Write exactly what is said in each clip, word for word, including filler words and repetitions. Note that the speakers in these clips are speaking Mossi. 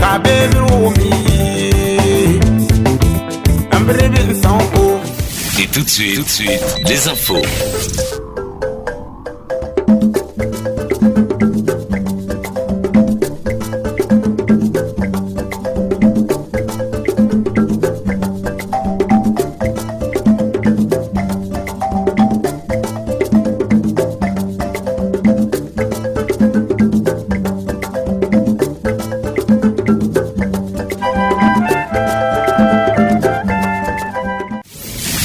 Ka baby romi. Ambre sans Et tout de suite, tout de suite, les infos.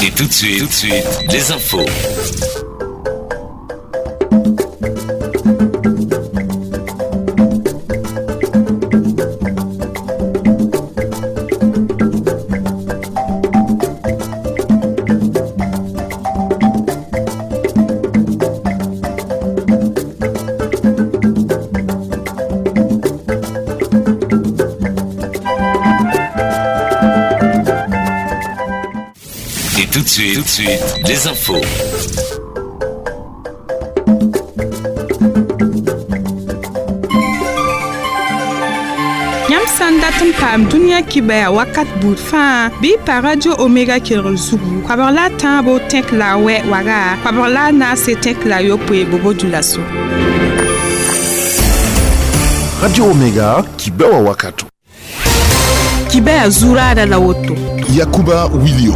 Et tout de suite, tout de suite, les infos. Et tout de suite, tout de suite, les infos. Yãmb sã n dat n paam dũniyã kibaya wakat buud fãa bɩ y pa Radio Omega kelgr zugu koabg la a tãabo tẽk la a wɛ waga koabg la a naase tẽk la a yopoe bobo-dulaso. Radio Omega kibewa wakato. Kibaya zuraada la woto. Yakuba Wilio.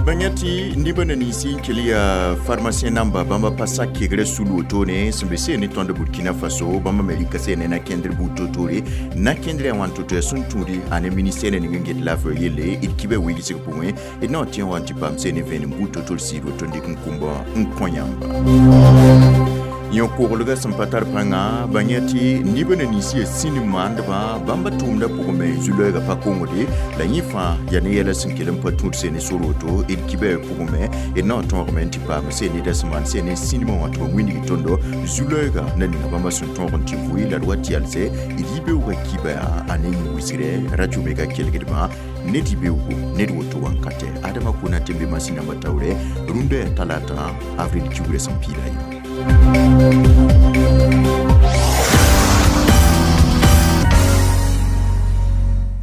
Banyati nibana nisi kelia pharmacien namba bamba pasa kegre sulu otone sembese ne tondo Burkina Faso bamba Amerika se ne na kendre butotore na kendre wanto to sunturi ane ministère ne nget la fo yele itkibe wigi se point et non tien wanti pam se ne ven butotol siro tondi nkumba nkonyamba yõ koglga sẽn pa tar pãnga bãng yaa tɩ nibã na nins yaa sĩnd maandbã bãmba tʋʋmdã pʋgẽ me zu-loɛɛgã pa kongde la yẽ fãa yaa ne yɛla sẽn kell n pa tũud sene sor woto d kibã pʋgẽ me d na n tõogame n tɩ paam sẽn neda sẽn maan sẽn ne sĩndmã wã tɩ ba wĩndg tõndo zu-loɛɛga na ninga bãmba sẽn tõog n tɩ vʋɩ la d wa tɩ yalsɛ d yibeoogã kiba a ne yĩ wisgrɛ radio mega kelgdbã ned yibeoogo ned woto wãnkatɛ adama kona tɩ n be masĩn nambã taoorɛ rũndã yaa talata avril kiugrã sẽn piida ye.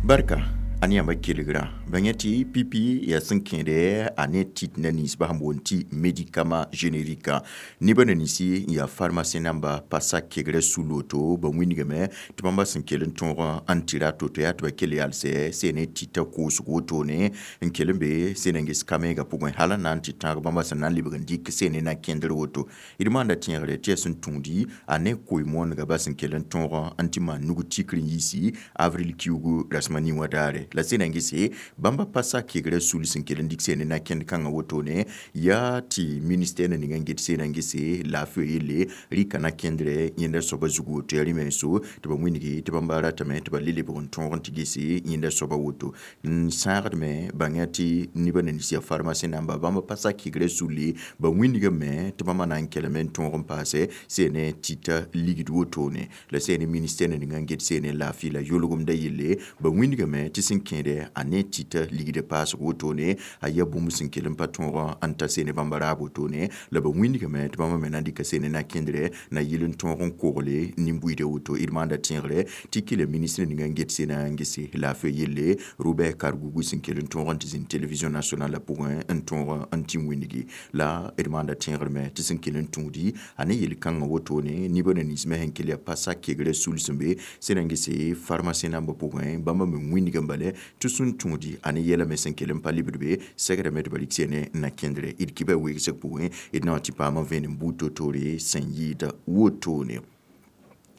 Barka ane yãmba kelgra bãng tɩ pipi yaa sẽn kẽede a ne tit na ninsbã sẽn boond tɩ médicament générique nebã na ninsi n yaa pharmacien namba pa sak kegrã sul woto ba wĩndgame tɩ bãmba sẽn kell n tõog n tɩ ra to-to yaa tɩ ba kell yalsɛ sẽn ne tita koosg wotone n kell n be sẽn na n ges kamɛɛgã pʋgẽ hal n na n tɩ tãag bãmba sẽn na n lebg n dɩk sẽn ne na kẽndr woto d maanda tẽegre tɩ yaa sẽn tũudi a ne koe-moonega ba sẽn kell n tõog n tɩ maan nug tikr n yiisi avril kiugu rasma nin wã daare la sẽn na n gese bãmba pa sak kegrã sul sẽn kell n dɩk sẽn ne na kẽnd kãngã wotone yaa tɩ ministère na ninga n get sẽn na n gese laafɩ yelle rɩka na kẽndrɛ yẽnda soaba zug woto yaa rẽ menso tɩ ba wĩndge tɩ bãmba ratame tɩ ba le lebg n tõog n tɩ gese yẽnda soaba woto n sãagdme bãng tɩ nebã na nins yaa pharmacien namba bãmba pa sak kegrã sulle ba wĩndgame tɩ bãmba na n kelme n tõog n paase sẽn ne tita ligd wotone la sẽn ne ministère na ninga n get sẽn ne laafɩ la yolgemda yelle ba wĩndgame tɩ sẽn kẽede a ne tita ligd paasg wotone a yaa bũmb sẽn kell n pa tõog n ta sene bãmba raab wotone la ba wĩndgame tɩ bãmba me na n dɩka sene na kẽndrɛ na yɩl n tõog n kogle nin-buiidã woto d maanda tẽegre tɩ kɩla ministre ninga n get sena n gese laafɩ yelle Robert Kargougou sẽn kell n tõog n tɩ zĩnd télévision nationale pʋgẽ n tõog n tɩ wĩndgi la d maanda tẽegr me tɩ sẽn kell n tũudi a ne yel-kãngã wotone nebã na nins me sẽn kell yaa pa sak kegrã sul sẽn be sẽn na n gese pharmacien nambã pʋgẽ bãmba me wĩndgã bale tɩ sẽn tũudi a ne yɛla me sẽn kell n pa lebd be sɛgrame tɩ ba rɩk sene na kẽndrɛ d kibã weegsg pʋgẽ d na n tɩ paam n vẽenem buud to-toore sẽn yɩɩda wotone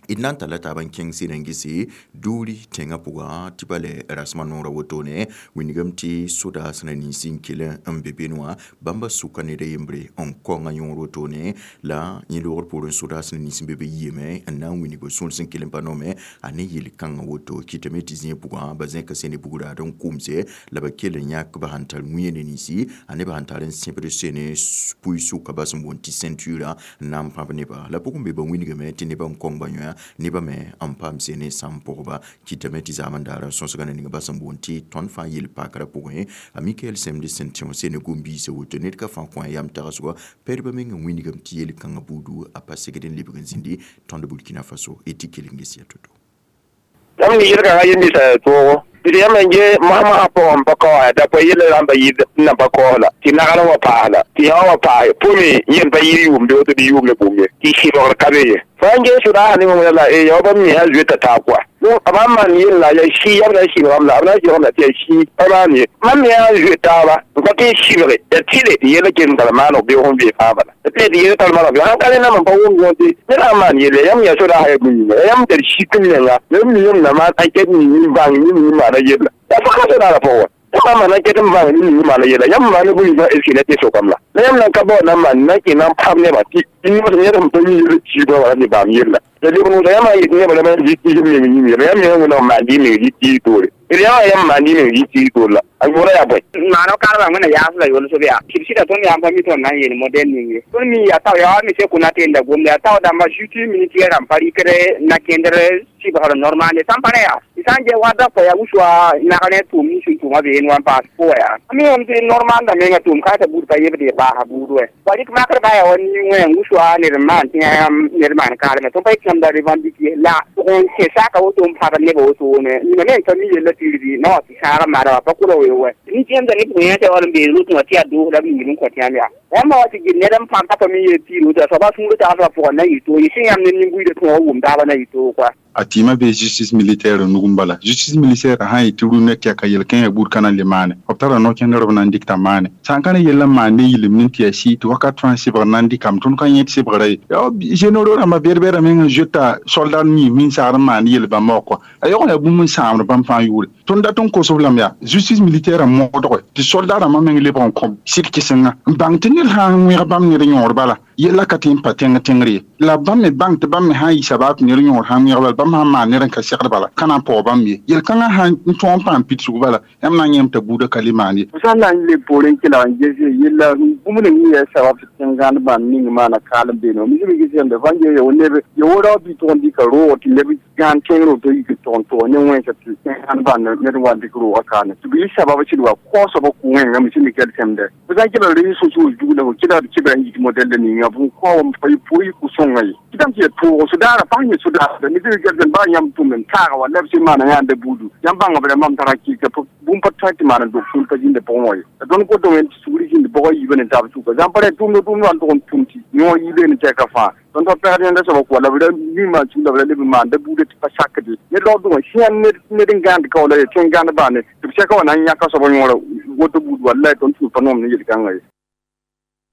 d na n talla taab n kẽng sẽn n gese doori tẽngã pʋgã tɩ ba le rasmã noorã wotone wĩndgame tɩ sodaas na ninsi n kell n be bene wã bãmba sʋka ned a yembre n kõnga yõor wotone la yẽ loogr poorẽ sodaas na nins n be be yiame n na n wĩndg sõor sẽn kell n pa noome a ne yel-kãngã woto kɩtame tɩ zĩig pʋgã ba zẽka sene bugraad n kʋmse la ba kell n yãk ba sẽn tar wĩyã ne ninsi a nebã sẽn tar n sẽbd sene pʋɩ sʋka ba sẽn boond tɩ ceinture n na n pãb nebã la pʋgẽ be ba wĩndgame tɩ nebã n kõng ba yõa nebã me n paam sene sãm pʋgba kɩtame tɩ zaam n daar n sõsga na ninga ba sẽn boond tɩ tõnd fãa yel-pakrã pʋgẽ a Mikael Semde sẽn tẽ sene gom-biisã woto ned ka fãa kõ a yam tagsgɔ pɛdbã meng n wĩndgame tɩ yel-kãngã buudu a pa segd n lebg n zĩndi tõnd Burkina Faso y tɩ kell n ges ya to-to. Yãmb mi yel-kãngã yel nins toogo tɩ yãmb n ge masã pʋgẽ pa kaoos da pa yella rãmba yɩɩd n na pa kaoos la tɩ nagr wã paas la tɩ yã wã paas pʋme yẽn pa yɩɩd yʋʋmde woto bɩ yʋʋm ne bũmb ye tɩ sɩbgr ka be ye fo n ges sodaasã ne wẽnda la ya bãmb mi sã zoeta taab koa donc b sãn maan yella yaa sɩ yam na n sɩbgame la b na n sɩbgame la tɩ yaa sɩ pa maan ye mam me yaa n zoe taaba n pa tɩ n sɩbge yaa tɩle tɩ yella kell n tar maaneg beoog n vee fãa bala tɩ tɩ yella tar maaneg beoog sãn ka rẽndã mam pa wʋm yõ tɩ ned sãn maan yella yãmb yaa sodaasã yaa bũmb yĩnga yãmb tar sik n menga yãmb mi yãmb na maan enquête ning n bãng ning n maana yella yaa fãa sodaasã pʋgẽ wã yãmb maan enquête n bãng ning n maana yella yãmb maan bũmb yĩngã est ce que la tɩ sokame la la yãmb nan ka bao na n maan na n kẽ na n pãb nebã tɩ ned sẽn pa mi yell kiibã wala tɩ baam yella la leb nuusa yãmb sã n yet nebã la yãmb zɩ tɩɩs meng yĩng la yãmb mengã wẽnnaam maan dɩ meng zɩ tɩɩs toore d yãmb yãmb maan dɩ meng zɩ tɩɩs toore la a yʋʋra yaa bõe maano karba wẽna yaas la yolsb yaa tɩ b sɩda tõnd yaa n pa mi tõnd na n yeel modɛl ning ye tõnd mi yaa tao yaa mi se kʋ na tenda gomda yaa tao dãmba juste militaire rãmb pa rɩkd na kẽndr sɩbgr normal ye sãn pa rẽ yaa tɩ sã n gɛ wa da pa yaa wuswa nagr ne tʋʋm nins n tʋʋma beene wa n paas pʋga yaa mi wame tɩ normal da menga tʋʋm ka t'a buud pa yebd ye baasa buud wɛ wa rɩk makr ba yaa wa nin-wẽ wuswa ned n maan tɩ ned maan kaalme tõnd pa yet yãmb da revendiquer la n kẽ saka woto n pãbd nebã wotone yĩnga me n ka mi yella tɩ na wa tɩ sãag n maana wa pa kʋla wee wɛ nin-tẽmda ne pʋgẽ yã tɩ wall n beed rotẽ wã tɩ yaa doos la b yĩngr n kõ tɩ yãmb yaa yãmb wa tɩ gil ned n pãb t'a pa mi yel tɩ rota soaba sũur tagsba pʋgẽ na yɩ toog yɩ sẽn yãmb ne nin-buiidã tõog wʋm taabã na yɩ toog koa a tɩɩmã bee justice militaire nug n bala justice militaire sã n yetɩ rũnnã tɩ yaa ka yel-kẽesã buud ka na n le maane b tara no-kẽndr b na n dɩkta maane sã n ka ne yell n maan ne yɩlem ne tɩ yaa sɩ tɩ wakat fãa sɩbgr na n dɩkame tõnd ka yẽd sɩbgra ye yaa généraux rãmbã bɛd-bɛdã meng n zoeta soldat mi minsaar n maan yel bãmba wã kɔa a yaool yaa bũmb n sãamd bãmb fãa yʋʋre tõnd dat n kos-b lame yaa justice militaire n modge tɩ soldat rãmbã meng lebg n kõ sɩd kɩsenga n bãng tɩ ned sã n wẽg bãmb ned yõor bala yella ka tɩ n pa tẽng tẽngr ye la bãmb me bãng tɩ bãmb me sã n yɩ sabaab tɩ ned yõor sã n wẽg bala bãmb sã n maan ned n ka segd bala ka na n paoog bãmb ye yel-kãngã sã n tõog n paam pidsg bala yãmb na n yẽem t'a buudã ka le maan ye f sã n na n le poorẽ n kelg n ges yella bũmb ning n yaa sabab tɩ tẽn-gãnd bãmb ning maana kaal n beene mi zɩ ges yãmb fãn ge ya neb ya wo rao bɩ tʋg n dɩka roog tɩ neb gãan kẽngr woto yik tʋg n tʋg ne wẽnsa tɩ tẽn-gãnd bãnd ned n wa n dɩk roogã kaane tɩ b yɩ sabab sɩd wa kaoosb kʋ wẽnga me sẽn dɩk sẽmdɛ f sã n kelg re so-soos dug la fo kelgd kɩbra n yik modɛl ninga b kao pa pʋɩ kʋ-sõnga ye tɩ tɩ ya toog sodaara pãng yẽ sodaasda ne zɩg gɛlsem baa yãmb tʋm n taaga wa la b sẽn maana yãanda buudu yãmb bãnga b rãmbame tara kɩka bũmb pa tõe tɩ maan n dog tũud pa zĩnda pʋgẽ wã ye la tõnd kotame tɩ sugri zĩnd bʋgã yiibã ne taab sʋka zãmb pa rẽ tʋmda tʋmd wã n tʋg n tʋm tɩ yõor yiibee ne tɛka fãa tõnd pa pɛgd yẽnda soaba kʋa la b ra mi maan sug la b ra leb n maan da buudã tɩ pa sakde ned raoodgã sẽn ned n gãand kao la ye tẽn gãnd baane tɩ b sɛka wã na n yãka soaba yõora woto buud wallai tõnd sũur pa noom ne yel-kãngã ye.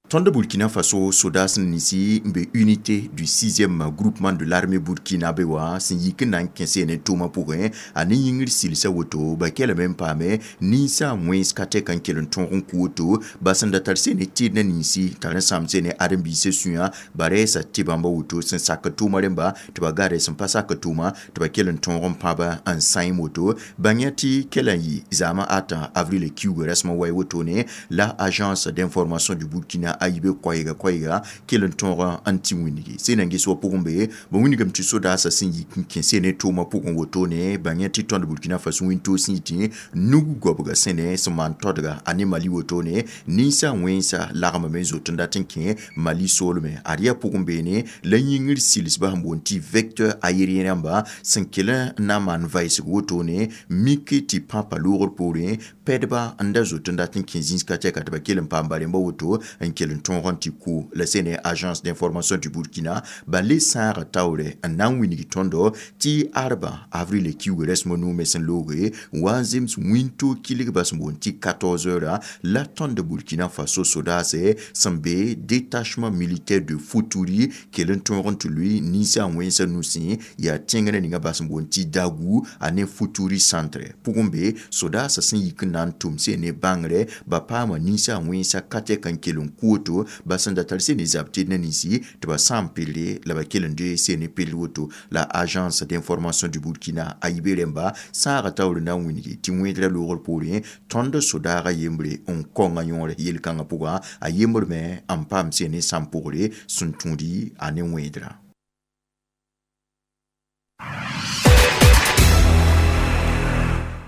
Tõnd Burkina Faso sodaas ninsi n be unité du sixième groupement de l'armée burkinabé wã sẽn yik n na n kẽse ne tʋʋmã pʋgẽ a ne yĩngr sɩlsa woto ba kelame n paame ninsa wẽns ka tɛk n kell n tõog n kʋ woto ba sẽn da tar se ne tɩɩd na ninsi tar n sãam se ne ãdem-biisã sũyã ba rɛɛsa tɩ bãmba woto sẽn sak tʋʋmã rẽmba tɩ ba ga rɛs n pa sak tʋʋma tɩ ba kell n tõog n pãba n sãem woto bãng tɩ kela n yɩ zaamã ata avril kiuugã rasmã wa wotone la agence d'information du Burkina a yibe koɛɛga koɛɛga kell n tõog n tɩ wĩnigi sẽn na n ges wa pʋgẽ be ba wĩnigame tɩ sodaasã sẽn yik n kẽ ne tʋʋmã pʋgẽ wotone bãng tɩ tõnd Burkina Faso wĩntoog sẽn yitẽ nug goabga sẽne sẽn maan todga a ne Mali wotone ninsa wẽnsa lagmame n zot n dat n kẽ Mali soolme ad yaa pʋgẽ beene la yĩngr silsbã sẽn boond tɩ vecteur aérien rãmba sẽn kell n na n maan vaɩsg wotone mik tɩ pãpa loogr poorẽ pɛdba n da zot n dat n kẽ zĩis ka tɛka tɩ ba kell n paam barẽmba woto n kell n tõog n tɩ ku la sẽne agence d'information du Burkina ba le sãaga taoore n na n wilg tõndo tɩ arba avril kiuugã rasmã nuu me sẽn looge wa n zems wĩntoog kilgba sẽn boond tɩ quatorze heures la tõnd Burkina Faso sodaase sẽn be détachement militaire de Foutouri kell n tõog n tɩ lʋɩ ninsã wẽnsã nusẽ yaa tẽngrã ninga ba sẽn boond tɩ Dagu a ne Foutouri centre pʋgẽ be sodaasã sẽn yik n na n tʋm se ne bãngre ba paama ninsã wẽnsã ka tɛk n kell n kʋ woto ba sẽn da tar se ne zab tɩd na ninsi tɩ ba sã n pille la ba kell n doe se ne pill woto la agence d'information du Burkina a yibe rẽmba sãaga taoor na n wĩnigi tɩ wẽedrã loogr poorẽ tõnd sodaagã yembre n kõnga yõor yel-kãngã pʋgã a yembr me n paam se ne sãm pʋgre sẽn tũudi a ne wẽedrã.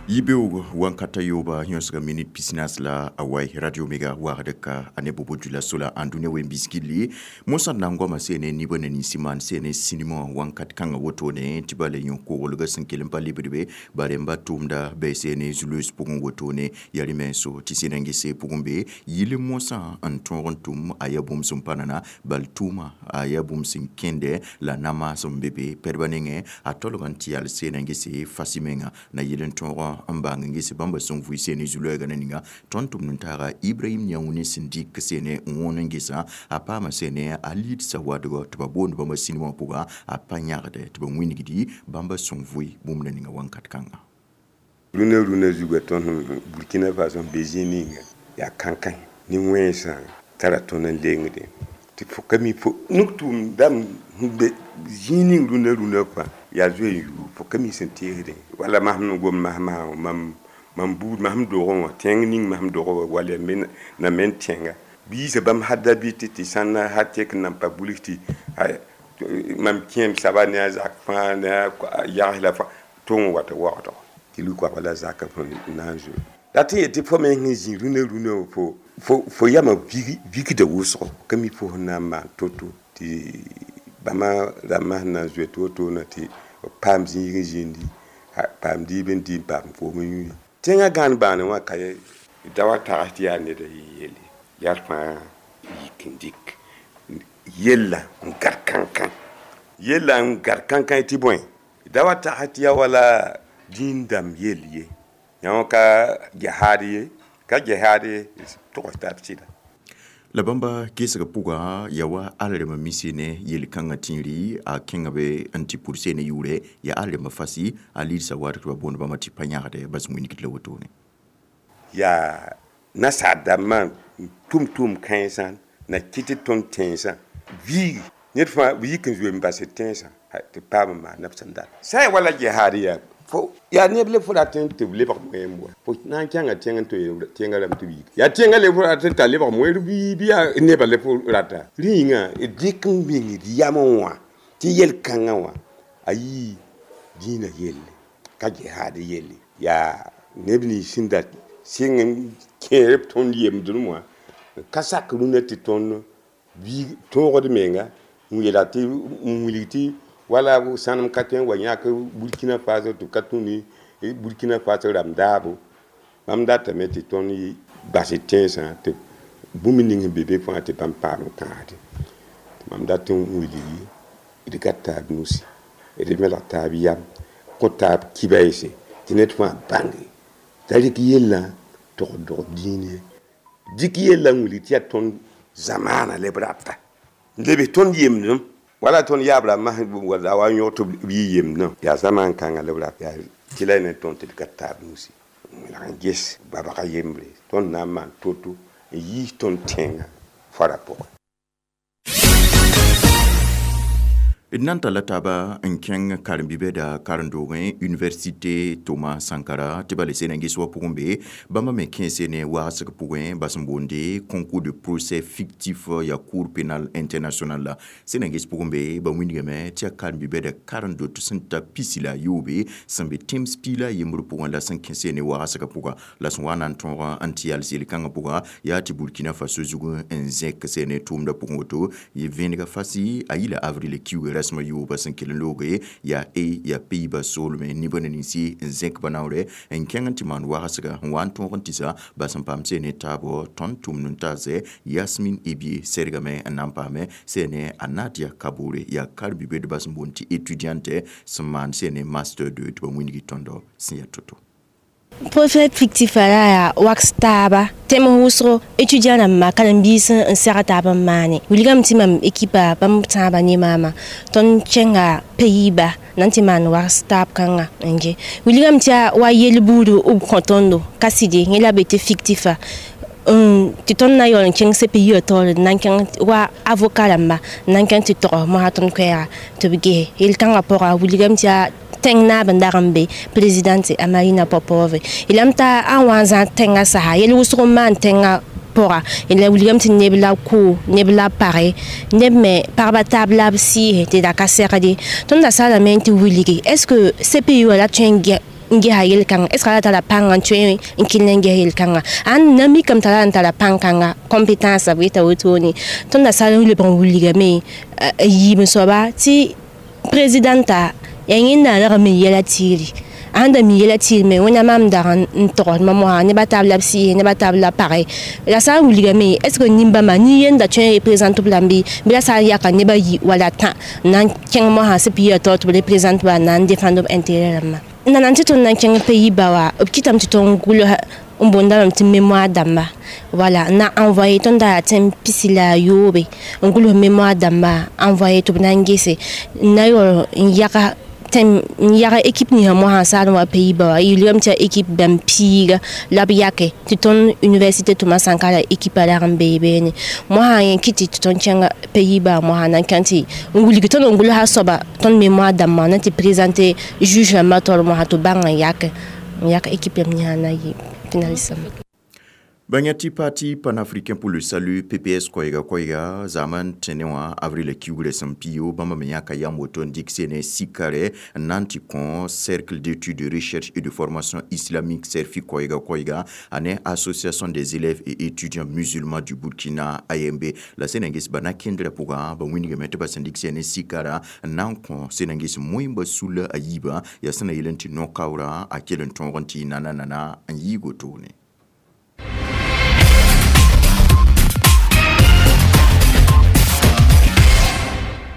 Yibeoog wankata yooba yõsga minit pisnaas la a wai Radio Omega waagd ka a ne bobo djula-sola ãn dũniyã wen biskilli mosã d na n goama seene nibã ne ninsi maan seene sinimã wãnkat kãngã wotone tɩ ba le yõ koglgã sẽn kell n pa lebdbe ba rẽmba tʋʋmda bɩ seene zu-loees pʋgẽ wotone yaa rẽ menso tɩ sẽn n gese pʋgẽ be yɩl mosã n tõog n tʋm a yaa bũmb sẽn pa nana bal tʋʋma a yaa bũmb sẽn kẽndɛ la namaas n be be pɛdbã nengẽ a tolg n tɩ yal seen n gese fasi menga na yɩl n tõog n bãng n ges bãmba sẽn vʋɩ seene zu-loɛɛgã na ninga tõnd tʋmd n taaga Ibrahim Yãune sẽn dɩk seene n wõn n gesa a paama seene a lidsa wadgɔ tɩ ba boond bãmba sinimã pʋga a pa yãgdɛ tɩ ba wĩnigdi bãmba sẽn vʋɩ bũmb na ninga wãnkat kãnga. Rũnã rũnã zugã tõnd Burkina Faso n be zĩig ninga yaa kãnkã ne wẽnsã tara tõnd n lengdẽ tɩ fo ka mi fo nuk tʋʋm dãmb be zĩig ning rũnã rũnã fãa yaa zoe n yuu fo ka mi sẽn teesdẽ wala masem n gom masmasã mam mam buud masem dogẽ wã tẽng ning masem dogẽ wã wala yaa na men tẽnga biisã bãmb hadda bɩ tɩ tɩ sãnna ha tek n nan pa bulg tɩ mam kẽem saba ne a zak fãa ne a yags la fãa tʋng wata waoodgo tɩ lui-koabga la zakã fõ na n zoe la tɩ yetɩ fo me sẽn zĩ rũnã rũnã fo fo fo yamã vikda wʋsgo ka mi fo sẽn na n maan to-to tɩ bãmba rãmbã sẽn na n zoe tɩ wotona tɩ paam zĩig n zĩndi paam diib n dɩ n paam koom n yũudi tẽngã gãan bãane wã ka da wa tags tɩ yaa neda yelle yaa fãa yik n dɩk yella n gad kãnkã yella n gad kãnkã tɩ bõe da wa tags tɩ yaa wala dĩin dãmb yell ye yã ka gehaad ye ka gehaad ye togs tab sɩda. La bãmba gesg pʋga yaa wa al-rẽmã mise ne yel-kãngã tĩiri a kẽnga be n tɩ pʋd seene yʋʋrɛ yaa al-rẽmã fasi a liidsa wadg tɩ ba boond bãmba tɩ pa yãgdɛ bas wĩnigd la wotone. Yaa nasaar dãmbã tʋm tʋʋm kãensã na kɩt tɩ tõnd tẽnsã viigi ned fãa b yik n zoe n bas tẽnsã tɩ paam n maan b sẽn dat sã n wala gehaad yaa fo yaa neb le fo rat n tɩ b lebg moeem wa fo na n kẽnga tẽng n tɩ tẽngã rãmb tɩ b yik yaa tẽngã le fo rat n t'a lebg moeer bɩ bɩ yaa nebã le fo rata rẽ yĩnga d dɩk n meng d yamẽ wã tɩ yel-kãngã wã a yii dĩinã yelle ka gehaad yelle yaa neb nins sẽn da sɩng n kẽer b tõnd yemdem wã ka sak rũnã tɩ tõnd tõogd menga n yeela tɩ n wilg tɩ wala sãnem ka tõe n wa yãk Burkina Faso tɩ b ka tũ ne Burkina Faso rãmb daabo bãmb datame tɩ tõnd bas tẽnsã tɩ bũmb ning sẽn be be fãa tɩ bãmb paam n kãasde mam dat n wilgi d gat taab nusi d melg taab yam kõ taab kibaɛɛse tɩ ned fãa bãnge t'a rɩk yellã tog dog dĩin ye dɩk yellã n wilg tɩ yaa tõnd zamaana le b rata n leb tõnd yemdem wala tõnd yaab rãmbã la wa n yõg tɩ b yɩ yemdã yaa zamaan kãngã la b rat yaa tɩ la ne tõnd tɩ d ka taab nusi n welg n ges babga yembre tõnd na n maan to-to n yiis tõnd tẽngã fara pʋgẽ. D na n talla taaba n kẽng karen-biibda karen-doogẽ Université Thomas Sankara tɩ ba le seen n ges wa pʋgẽ be bãmba me kẽese ne waasg pʋgẽ bas n boonde concours de procès fictif yaa Cour pénal international la seen n ges pʋgẽ be ba wĩndgame tɩ yaa karen-biibda karen-dot sẽn ta pisi la a yoobe sẽn be tẽms piig la a yembr pʋgẽ la sẽn kẽse ne waasgã pʋga la sẽn wa na n tõog n tɩ yals yel-kãngã pʋga yaa tɩ Burkina Faso zug n zẽk seene tʋʋmdã pʋgẽ woto vẽenega fasi a yila avril kiuugã rasmã yooba sẽn kell n looge yaa e yaa Pays-Bas soolmẽ nibã ne ninsi n zẽk ba naoorɛ n kẽng n tɩ maan wagsga n wa n tõog n tɩsa bas n paam seene taabɔ tõnd tʋmd n taase Yasmin Ebie sɛrgame n na n paame seene a Nadia Kabore yaa karen-biibdbã sẽn boond tɩ étudiante sẽn maan seene master deux tɩ ba wĩnigi tõndo sẽn yaa to-to. Procès fictif la yaa waks taaba tẽm wʋsgo étudiant rãmba karen-biis n seg taab n maane wilgame tɩ mam ekipa bãmb tãabã ne maama tõnd kẽnga Pays-Bas na n tɩ maan wags taab kãnga n ge wilgame tɩ yaa wa yel buud b kõ tõndo ka sɩde yẽ la be tɩ fictifa tɩ tõnd na n yaool n kẽng C P I wã taoore d na n kẽng wa avocat rãmba n na n kẽng tɩ tog mosã tõnd koɛɛga tɩ b ges yel-kãngã pʋga wilgame tɩ yaa tẽng naab n dag n be présidente a Marina Popove yelame t'a ãn wa n zãag tẽngã sasa yel wʋsg n maan tẽngã pʋga la wilgame tɩ neb la kʋ neb la page neb me pagba taab la b sɩɩse tɩ da ka segde tõnd da salame tɩ wilgi est ce que C P I wã la tõe n n gesa yel-kãngã est ce que a tara pãng n tõe n kell n ges yel-kãngã ãn na mikame t'a ra n tara pãn-kãnga compétence b yeta wotone tõnd da sal n lebg n wilgame n yiib n soaba tɩ présidenta yaa yẽnda rag n mi yɛla tiiri sãn da mi yɛla tiir me wẽnnaam mam dag n togsd mam wã nebã tab la b sɩɩse nebã tab la page la sã n wilgame est ce que nin-bãmba nin-yenda tõe n représente b lame bɩ la sã n yaka nebã yi wala tã n na n kẽng mosã sẽn piiga taoor tɩ b représente ba n na n défendre b intérêt rãmbã nana tɩ tõnd na n kẽng pays ba wa b kɩtame tɩ tõnd gʋls n boondame tɩ mémoire dãmba voilà n na envoyé tõnd da yaa tẽn pisi la a yoobe n gʋls mémoire dãmba envoyé tɩ b na n gese n na yaool n yaga tẽm n yaga équipe ninsã mosã saad n wa pays ba wa yilgame tɩ yaa équipe bãmb piiga la b yake tɩ tõnd université Thomas Sankara équipe rag n bee beene mosã yẽ kɩ tɩ tõnd kẽnga pays ba mosã na n kẽng tɩ n wilg tõnd n gʋlsa soaba tõnd mémoire dãmbã na tɩ présenter juge rãmbã taoor mosã tɩ b bãng n yake n yak équipe ninsã na yɩ finaliste Bãngã Parti panafricain pour le salut P P S koɛɛga koɛɛga zaman tẽne wã avril kiugrã sẽn pio bãmba me yãka yam woto n dɩk sene sikare n na n tɩ kõ Cercle d'études de recherche et de formation islamique CERFI koɛɛga koɛɛga ane Association des élèves et étudiants musulmans du Burkina A M B la sẽn na n ges ba na kẽndrã pʋgã ba wĩnigame tɩ ba sẽn dɩk sene sikara n na n kõ sẽn na n ges moẽmba sulla a yiibã yaa sẽn na yel n tɩ no-kaoorã a kell n tõog n tɩ nana nana n yɩɩg wotone.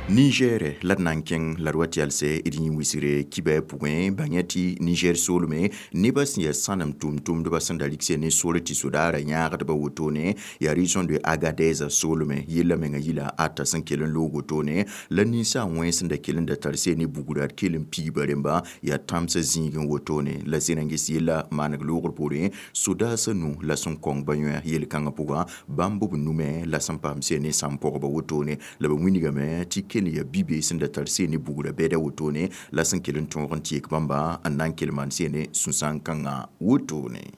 Niger la d na n kẽng la d wa tɩ yalsɛ d yĩ wisgre kibɛ pʋgẽ bãngã tɩ Niger soolme nebã sẽn yaa sãnem tʋm-tʋmdbã sẽn da rɩk ne sor tɩ sodaarã yãagdba wotone yaa région de Agadez soolme yella menga yila ata sẽn kell n loog wotone la ninsaag wẽ sẽn da kell n da tar se ne bugra d kell n piiba rẽmba yaa tãmsã zĩigẽ wotone la sẽn na n ges yella maaneg loogr poorẽ sodaasã nu la sẽn kõng ba yõ yel-kãngã pʋgã bãmb b nume la sẽn paam se ne sãm pɔgba wotone la ba wĩnigame tɩ kell ya bibe sẽn da tar se ne bugra bɛda wotone la sẽn kell n tõog n tɩ yek bãmba n na n kell maan se ne sũ-sãn-kãngã wotone.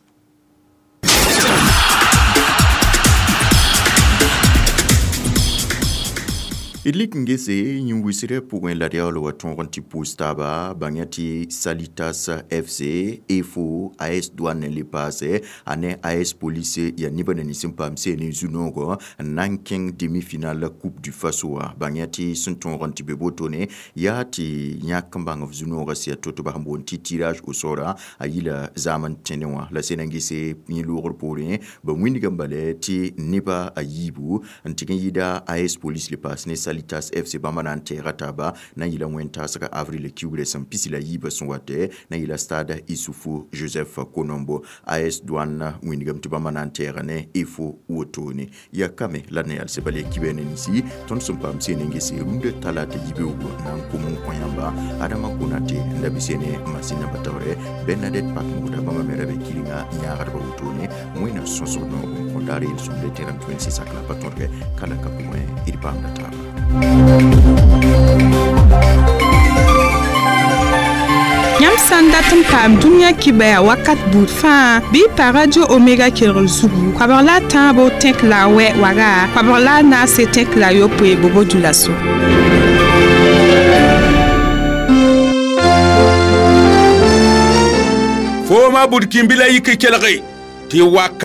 D lik n gese yĩn wisrã pʋgẽ la d yaool wa tõog n tɩ pʋʋs taaba bãngã tɩ Salitas F C E F O A S Douane le paase ane A S Police yaa nebã na nins n paam seen n zu-noogɔ n na n kẽng demi-finale Coupe du Faso wã bãngã tɩ sẽn tõog n tɩ be wotone yaa tɩ yãk n bãng f zu-noogã sẽn yaa to-to bas n boond tɩ tirage au sort a yila zaam n tẽne wã la sẽn na n gese yẽ loogr poorẽ ba wĩnigame bala tɩ neba a yiibu n tɩg n yɩɩda A S Police le paas ne Salitas F C bãmba na n tɛɛga taaba na n yɩla wẽn-taasga avril kiugrã sẽn pisi la yiibã sẽn watɛ na n yɩla stade Issoufou Joseph Konombo A S Douane wĩnigame tɩ bãmba na n tɛɛga ne E F O wotone yaa kame la d na yalsɛ bala yaa kibɛ ne ninsi tõnd sẽn paam seen n gese rũndã talata yibeoogo na n kom n kõ yãmba Adama Konate n da bɩ ne masin namba taoorɛ Bernadette Pakmoda bãmba me ra be kɩrenga yãagdbã wotone wẽnnaam sõsg noog n kõ daar yel-sõmde tẽrame tɩ wẽnd sɩsak la pa tõdgɛ kala ka pʋgẽ d paamda taaba. Yãmb sã n dat n paam dũniyã kibɛa wakat buud fãa bɩ pa Radio Omega kelgr zugu koabg la a tãabo tẽk la a wɛ waga koabg la a naase tẽk la a yopoe bobo dulaso. Fooma bud kĩmbi la yik kelge tɩ wak.